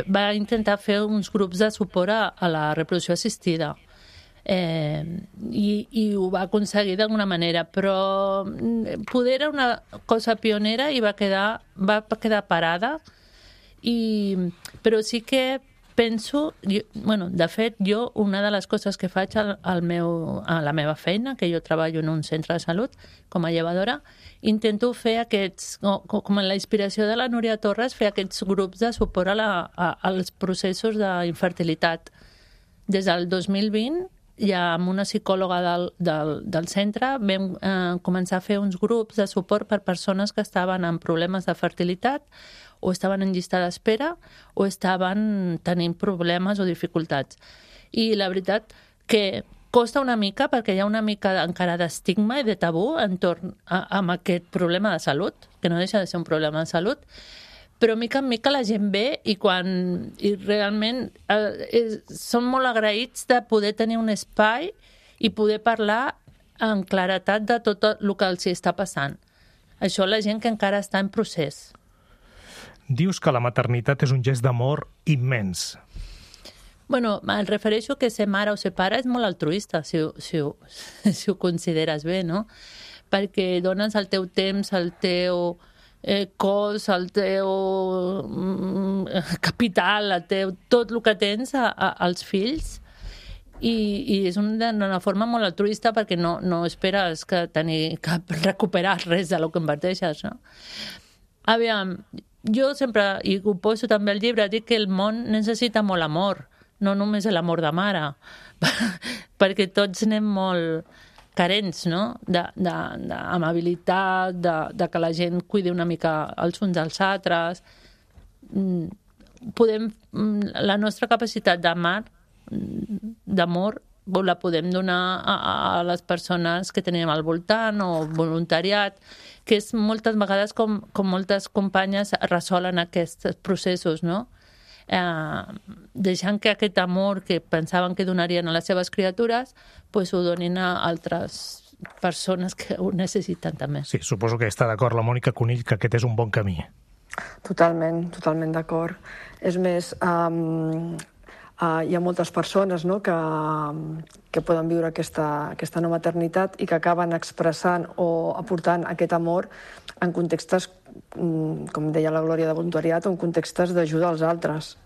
va intentar fer uns grups de suport a la reproducció assistida. I ho va aconseguir d'alguna manera, però poder era una cosa pionera i va quedar parada, però sí que penso, de fet, jo una de les coses que faig a la meva feina, que jo treballo en un centre de salut com a llevadora, intento fer aquests, com en la inspiració de la Núria Torres, fer aquests grups de suport als processos d'infertilitat. Des del 2020, ja amb una psicòloga del centre, vam començar a fer uns grups de suport per persones que estaven amb problemes de fertilitat o estaven en llista d'espera o estaven tenint problemes o dificultats. I la veritat que costa una mica perquè hi ha una mica encara d'estigma i de tabú entorn amb aquest problema de salut, que no deixa de ser un problema de salut, però mica en mica la gent ve i realment són molt agraïts de poder tenir un espai i poder parlar en claretat de tot el que els està passant. Això la gent que encara està en procés. Dius que la maternitat és un gest d'amor immens. Em refereixo que ser mare o ser pare és molt altruista, si ho consideres bé, no? Perquè dones el teu temps, el teu cos, el teu capital, tot el que tens als fills, i és d'una forma molt altruista perquè no esperes que recuperar res del que inverteixes, no? Aviam, jo sempre, i ho poso també al llibre, dic que el món necessita molt amor, no només l'amor de mare, perquè tots anem molt carents, no? D'amabilitat, de que la gent cuidi una mica els uns dels altres. La nostra capacitat d'amor la podem donar a les persones que tenim al voltant o voluntariat, que és moltes vegades com moltes companyes resolen aquests processos, no? Deixant que aquest amor que pensaven que donarien a les seves criatures ho donin a altres persones que ho necessiten també. Sí, suposo que està d'acord la Mònica Conill que aquest és un bon camí. Totalment d'acord. És més, hi ha moltes persones, no?, que poden viure aquesta no maternitat i que acaben expressant o aportant aquest amor en contextes, com deia la Glòria, de voluntariat o en contextes d'ajuda als altres,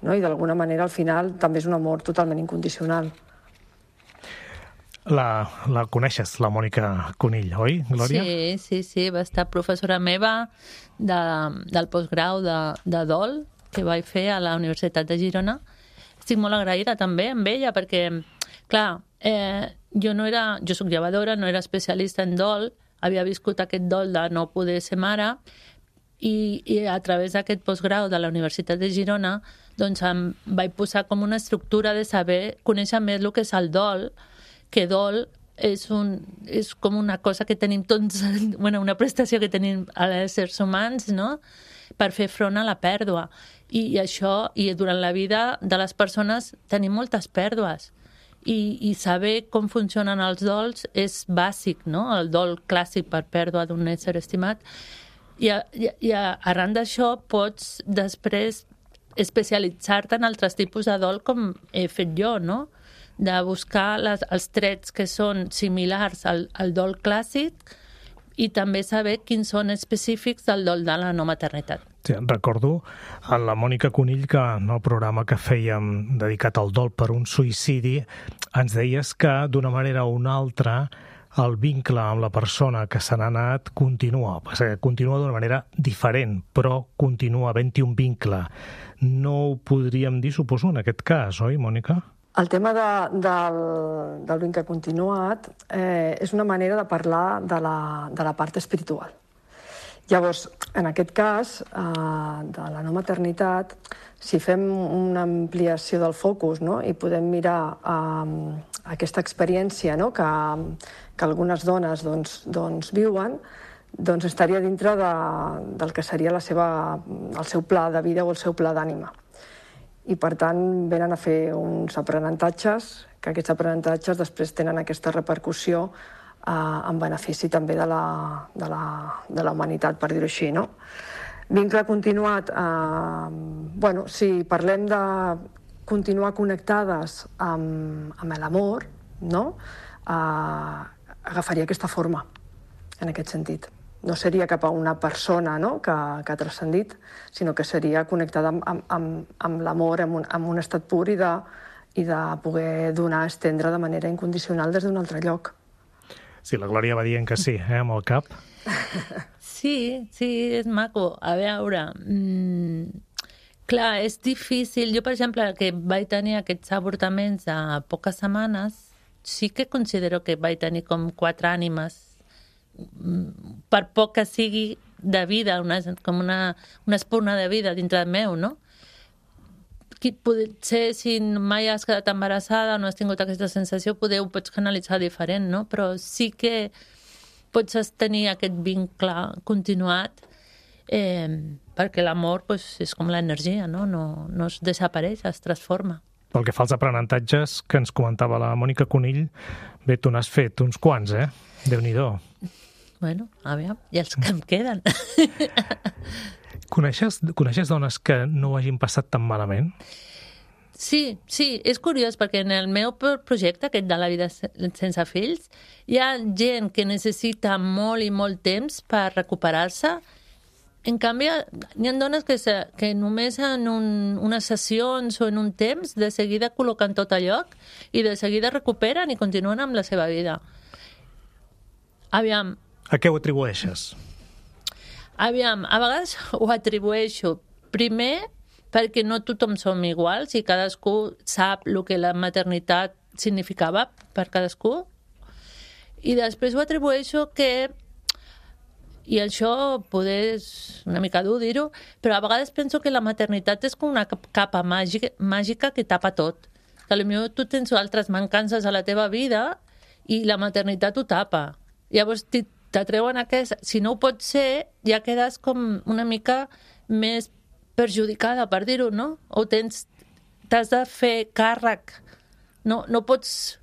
no? I d'alguna manera al final també és un amor totalment incondicional. La coneixes, la Mònica Conill, oi, Glòria? Sí, va estar professora meva del postgrau de dol que vaig fer a la Universitat de Girona. Estic molt agraïda també amb ella perquè, clar, jo soc llevadora, no era especialista en dol, havia viscut aquest dol de no poder ser mare i a través d'aquest postgrau de la Universitat de Girona doncs em vaig posar com una estructura de saber, conèixer més el que és el dol, que dol és com una cosa que tenim tots, una prestació que tenim als éssers humans, no?, per fer front a la pèrdua. I durant la vida de les persones tenim moltes pèrdues. I saber com funcionen els dols és bàsic, no?, el dol clàssic per pèrdua d'un ésser estimat. I arran d'això pots després especialitzar-te en altres tipus de dol com he fet jo, no?, de buscar els trets que són similars al dol clàssic i també saber quins són específics del dol de la no maternitat. Sí, recordo a la Mònica Conill que en el programa que fèiem dedicat al dol per un suïcidi ens deies que d'una manera o una altra el vincle amb la persona que se n'ha anat continua d'una manera diferent, però continua havent-hi un vincle. No ho podríem dir, suposo, en aquest cas, oi, Mònica? El tema del vincle continuat és una manera de parlar de la part espiritual. Llavors, en aquest cas, de la no maternitat, si fem una ampliació del focus, no?, i podem mirar aquesta experiència, no?, que algunes dones viuen, doncs estaria dintre del que seria el seu pla de vida o el seu pla d'ànima. I, per tant, venen a fer uns aprenentatges, que aquests aprenentatges després tenen aquesta repercussió en benefici també de la humanitat, per dir-ho així, no? Vincle continuat, si parlem de continuar connectades amb l'amor, no?, agafaria aquesta forma, en aquest sentit. no seria cap a una persona, no?, que ha transcendit, sinó que seria connectada amb l'amor, amb un estat pur i de poder donar, estendre de manera incondicional des d'un altre lloc. Sí, la Glòria va dient que sí, amb el cap. Sí, és maco. A veure, clar, és difícil. Jo, per exemple, que vaig tenir aquests avortaments a poques setmanes, sí que considero que vaig tenir com 4 ànimes, per poc que sigui de vida, com una espurna de vida dintre meu, no? Potser si mai has quedat embarassada o no has tingut aquesta sensació, ho pots canalitzar diferent, no? Però sí que pots tenir aquest vincle continuat, perquè l'amor és com l'energia, no es desapareix, es transforma. Pel que fa als aprenentatges que ens comentava la Mònica Conill, bé, tu n'has fet uns quants, Déu-n'hi-do. Bueno, aviam, i els que em queden. Coneixes dones que no ho hagin passat tan malament? Sí, és curiós, perquè en el meu projecte, aquest de la vida sense fills, hi ha gent que necessita molt i molt temps per recuperar-se. En canvi, hi ha dones que només en unes sessions o en un temps de seguida col·loquen tot a lloc i de seguida recuperen i continuen amb la seva vida. Aviam. A què ho atribueixes? Aviam, a vegades ho atribueixo primer perquè no tothom som iguals i cadascú sap el que la maternitat significava per cadascú. I després ho atribueixo que, i això poder és una mica dur dir-ho, però a vegades penso que la maternitat és com una capa màgica que tapa tot. Que potser tu tens altres mancances a la teva vida i la maternitat ho tapa. Llavors t'atreuen aquesta. Si no ho pots ser, ja quedes com una mica més perjudicada, per dir-ho, no? O t'has de fer càrrec. No pots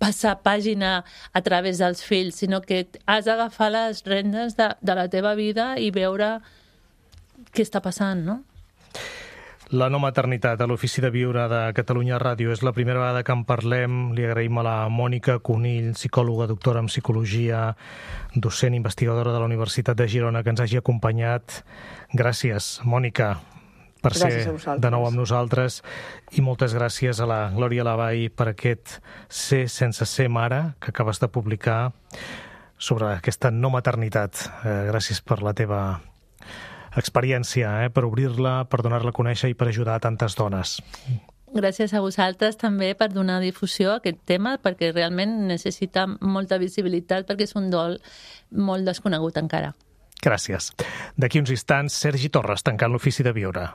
passar pàgina a través dels fills, sinó que has d'agafar les rendes de la teva vida i veure què està passant, no? La no maternitat a l'Ofici de Viure de Catalunya Ràdio és la primera vegada que en parlem. Li agraïm a la Mònica Conill, psicòloga, doctora en psicologia, docent investigadora de la Universitat de Girona, que ens hagi acompanyat. Gràcies, Mònica, per ser de nou amb nosaltres, i moltes gràcies a la Glòria Lavall per aquest Ser sense ser mare que acabes de publicar sobre aquesta no maternitat. Gràcies per la teva experiència, per obrir-la, per donar-la a conèixer i per ajudar a tantes dones. Gràcies a vosaltres també per donar difusió a aquest tema, perquè realment necessita molta visibilitat, perquè és un dol molt desconegut encara. Gràcies. D'aquí uns instants, Sergi Torres, tancant l'Ofici de Viure.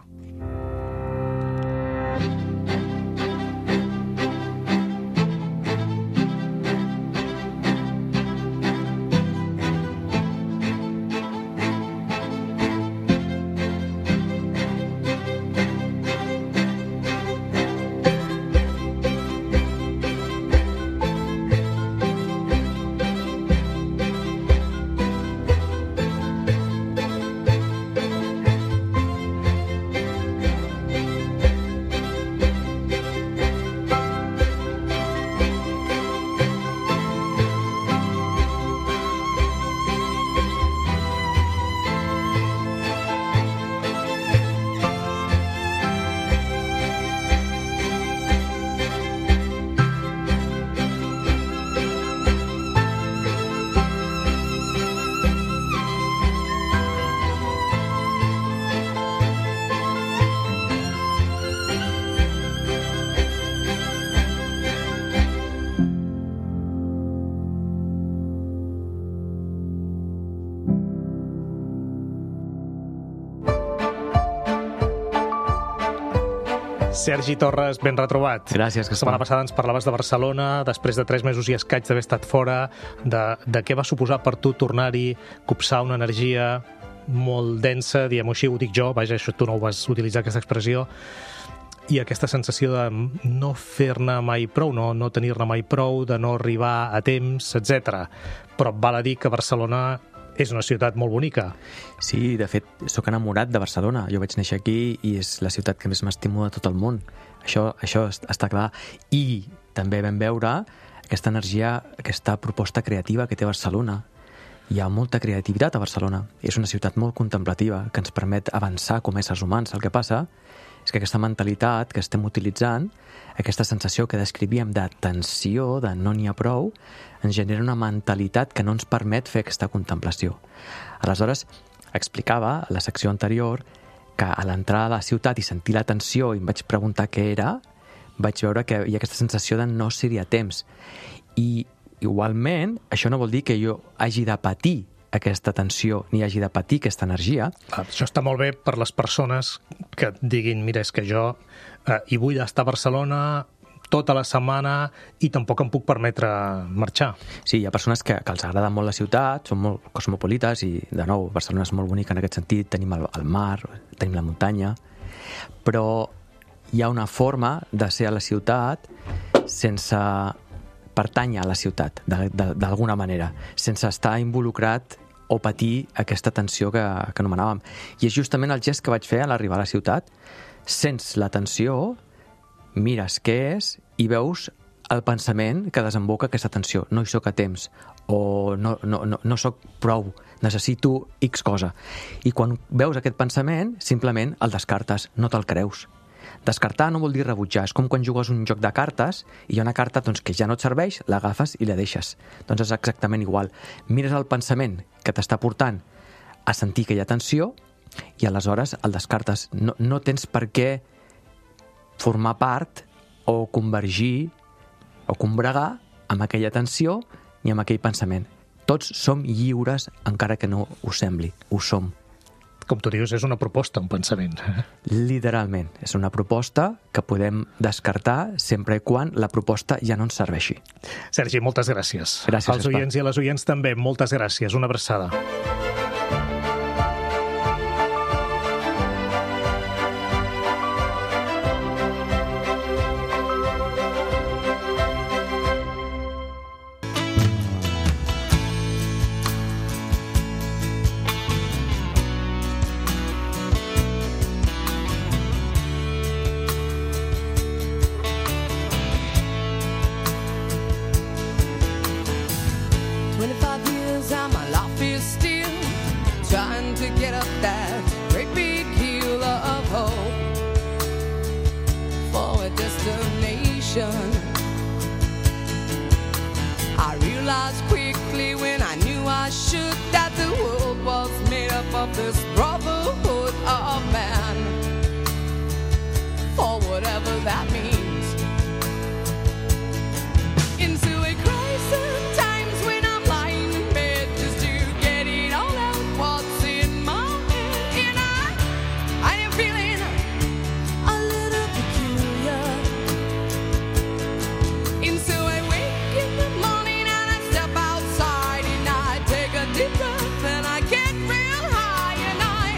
Sergi Torres, ben retrobat. Gràcies, La setmana passada ens parlaves de Barcelona, després de 3 mesos i escaig d'haver estat fora, de què va suposar per tu tornar-hi, copsar una energia molt densa, diguem-ho així, ho dic jo, vaja, això tu no ho vas utilitzar, aquesta expressió, i aquesta sensació de no fer-ne mai prou, no tenir-ne mai prou, de no arribar a temps, etc. Però val a dir que Barcelona és una ciutat molt bonica. Sí, de fet, sóc enamorat de Barcelona. Jo vaig néixer aquí i és la ciutat que més m'estimo de tot el món. Això està clar. I també vam veure aquesta energia, aquesta proposta creativa que té Barcelona. Hi ha molta creativitat a Barcelona. És una ciutat molt contemplativa que ens permet avançar com a éssers humans. El que passa és que aquesta mentalitat que estem utilitzant, aquesta sensació que descrivíem de tensió, de no n'hi ha prou, ens genera una mentalitat que no ens permet fer aquesta contemplació. Aleshores, explicava a la secció anterior que a l'entrar a la ciutat i sentir la tensió i em vaig preguntar què era, vaig veure que hi ha aquesta sensació de no ser-hi a temps. I igualment, això no vol dir que jo hagi de patir aquesta tensió ni hagi de patir aquesta energia. Això està molt bé per les persones que diguin, mira, és que jo hi vull estar a Barcelona tota la setmana i tampoc em puc permetre marxar. Sí, hi ha persones que els agrada molt la ciutat, són molt cosmopolites i, de nou, Barcelona és molt bonica en aquest sentit, tenim el mar, tenim la muntanya, però hi ha una forma de ser a la ciutat sense pertànyer a la ciutat, d'alguna manera, sense estar involucrat o patir aquesta tensió que anomenàvem. I és justament el gest que vaig fer a l'arribar a la ciutat. Sents la tensió, mires què és i veus el pensament que desemboca aquesta tensió. No hi soc a temps, o no soc prou, necessito X cosa. I quan veus aquest pensament, simplement el descartes, no te'l creus. Descartar no vol dir rebutjar, és com quan jugues un joc de cartes i hi ha una carta que ja no et serveix, l'agafes i la deixes. Doncs és exactament igual. Mires el pensament que t'està portant a sentir que hi ha tensió i aleshores el descartes. No tens per què formar part o convergir o combregar amb aquella tensió ni amb aquell pensament. Tots som lliures encara que no ho sembli, ho som. Com tu dius, és una proposta, un pensament. Literalment, és una proposta que podem descartar sempre i quan la proposta ja no ens serveixi. Sergi, moltes gràcies. Gràcies, als oients i a les oients també, moltes gràcies. Una abraçada. I realized quickly when I knew I should that the world was made up of this brotherhood of man, for whatever that means. Into a crisis times when I'm lying in bed just to get it all out what's in my head, and I am feeling a little peculiar. And so I wake in the morning and I step outside and I take a deep breath and I get real high and I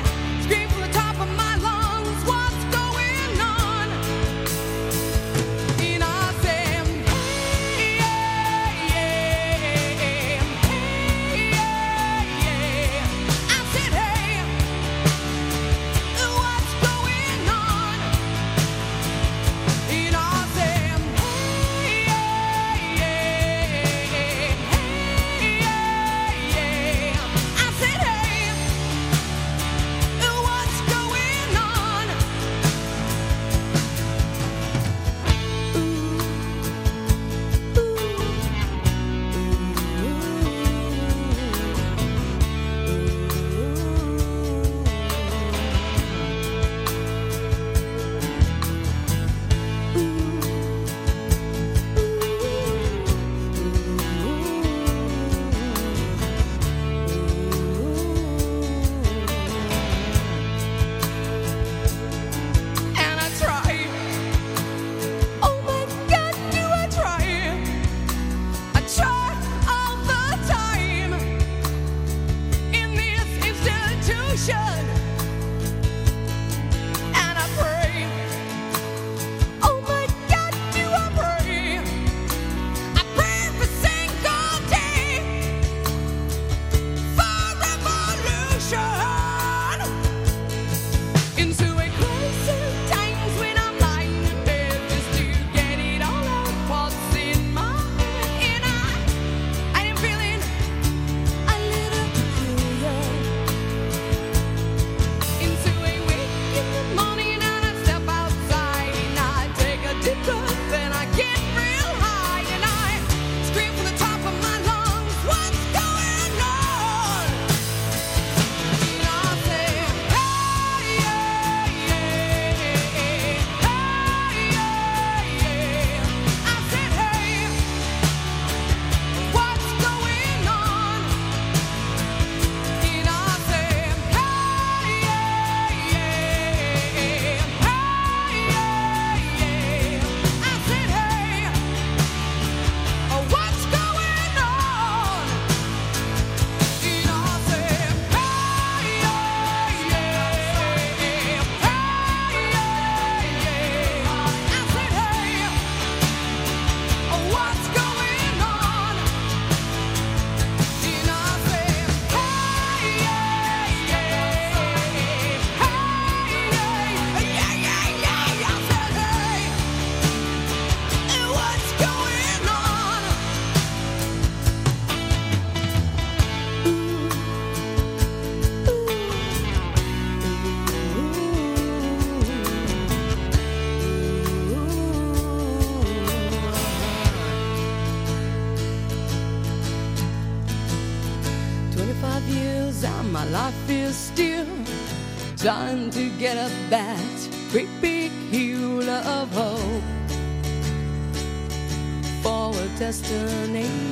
life is still trying to get up that great big hill of hope for a destination